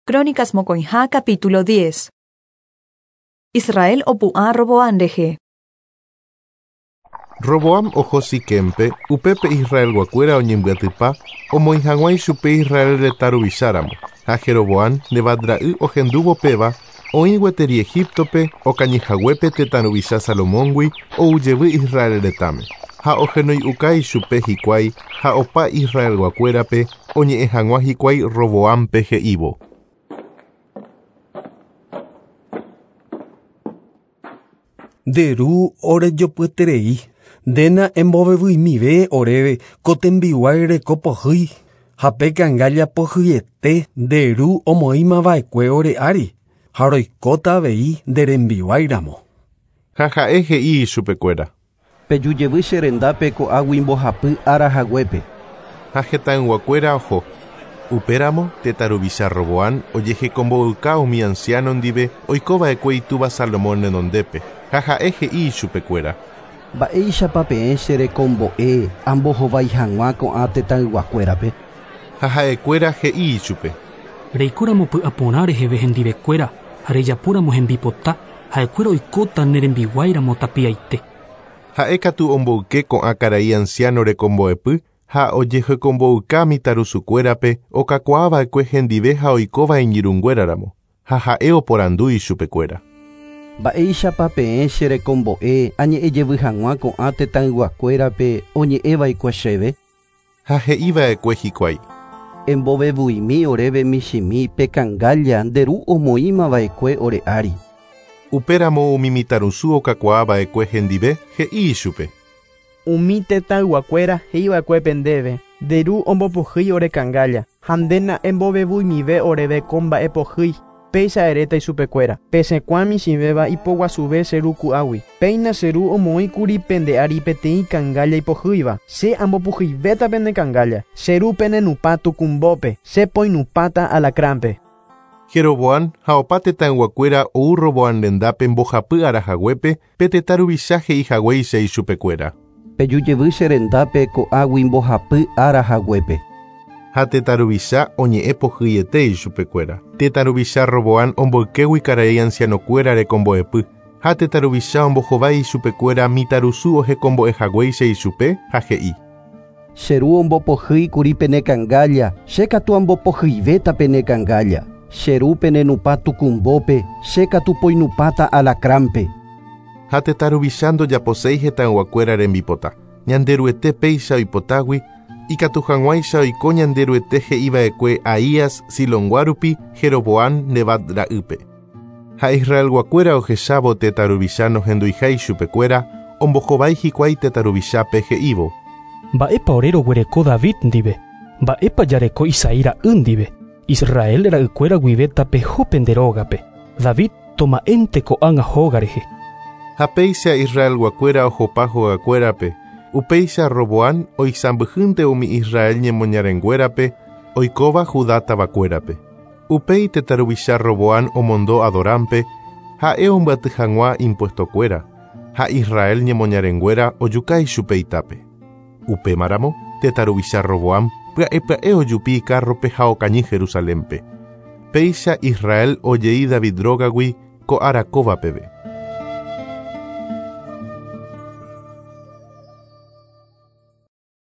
Crónicas mokõiha capítulo diez. Israel opu'ã Roboam rehe. Roboam oho Siquémpe, upépe Israelguakuéra oñembyatypa omoĩ hag̃ua ichupe Israel retã ruvicháramo. Ha Jeroboam, Nebat ra'y ohendúvo péva, oĩ gueteri Egíptope, okañyhaguépe tetã ruvicha Salomóngui ou jevy Israel retãme. Ha ohenoi'uka ichupe hikuái ha opa Israelguakuérape oñe'ẽ hag̃ua hikuái Roboámpe he'ívo. Nde ru orejopyeterei, ndéna embovevyimive oréve ko tembiguái reko pohýi ha pe kangálla pohyiete nde ru omoĩmava'ekue ore ári ha roikóta avei nde rembiguáiramo. Ha ha'e he'i ichupekuéra. Peju jevy che rendápe ko'águi mbohapy ára haguépe. Ha hetãyguakuéra oho. Upéramo tetã ruvicha Roboam ojehekombo'yka umi anciano ndive oikova'ekue itúva Salomón renondépe, ha ha'e he'i ichupekuéra. Mba'éichapa peẽ che rekombo'e ambohovái hag̃ua ko'ã tetãyguakuérape? Ha ha'ekuéra he'i ichupe. Reikóramo py'aporã reheve hendivekuéra ha rejapóramo hembipota, ha'ekuéra oikóta ne rembiguáiramo tapiaite. Ha'e katu omboyke ko'ã karai anciano rekombo'epy ha ojehekombo'yka mitãrusukuérape okakuaava'ekue hendive ha oikóva iñirũnguéraramo, ha ha'e oporandu ichupekuéra. Mba'éichapa peẽ che rekombo'e añe'ẽjevy hag̃ua ko'ã tetãyguakuérape oñe'ẽva'ekue chéve? Ha he'iva'ekue hikuái. Embovevuimi oréve michĩmi pe kangálla nde ru omoĩmava'ekue ore ári. Upéramo umi mitãrusu okakuaava'ekue hendive he'i ichupe. Umi tetãyguakuéra he'iva'ekue ndéve, nde ru ombopohýi ore kangálla ha ndéna embovevuimive oréve ko mba'e pohýi. Péicha eréta ichupekuéra. Pesẽkuaa michĩvéva ipoguasuve che ru ku'águi. Péina che ru omoĩkuri pende ári peteĩ kangálla ipohýiva. Che ambopohyivéta pende kangálla. Che ru penenupã tukumbópe. Che poinupãta alacránpe. Jeroboam ha opa tetãyguakuéra ou Roboam rendápe mbohapy ára haguépe pe tetã ruvicha he'ihaguéicha ichupekuéra. Peju jevy che rendápe ko'águi mbohapy ára haguépe. Ha tetã ruvicha oñe'ẽ pohyiete ichupekuéra. Tetã ruvicha Roboam omboykégui karai ancianokuéra rekombo'epy. Ha tetã ruvicha ombohovái ichupekuéra mitãrusu ohekombo'ehaguéicha ichupe ha he'i. Che ru ombopohýikuri pene kangálla, che katu ambopohyivéta pene kangálla. Che ru penenupã tukumbópe, che katu poinupãta alacránpe. Ha tetã ruvicha ndojaposéi hetãyguakuéra rembipota. Ñanderuete péicha oipotágui, ikatu hag̃uáicha oiko Ñanderuete he'iva'ekue Ahías Silongua rupi Jeroboam Nebat ra'ýpe. Ha Israelguakuéra ohechávo tetã ruvicha nohenduiha ichupekuéra, ombohovái hikuái tetã ruvichápe he'ívo. Mba'épa ore roguereko David ndive, mba'épa jareko Isaí ra'y ndive, Israel ra'ykuéra guive tapeho pende rógape. David toma'énte ko'ág̃a hóga rehe. Ha péicha Israelguakuéra ohopa hogakuérape, upéicha Roboam oisãmbyhýnte umi Israel ñemoñarenguérape oikóva Judá tavakuérape. Upéi tetã ruvicha Roboam omondo Adorámpe, ha'e ombyaty hag̃ua impuestokuéra, ha Israel ñemoñarenguéra ojuka ichupe itápe. Upémaramo, tetã ruvicha Roboam pya'e pya'e ojupi ikárrope ha okañy Jerusalénpe. Péicha Israel ojei David rógagui ko ára kóva peve.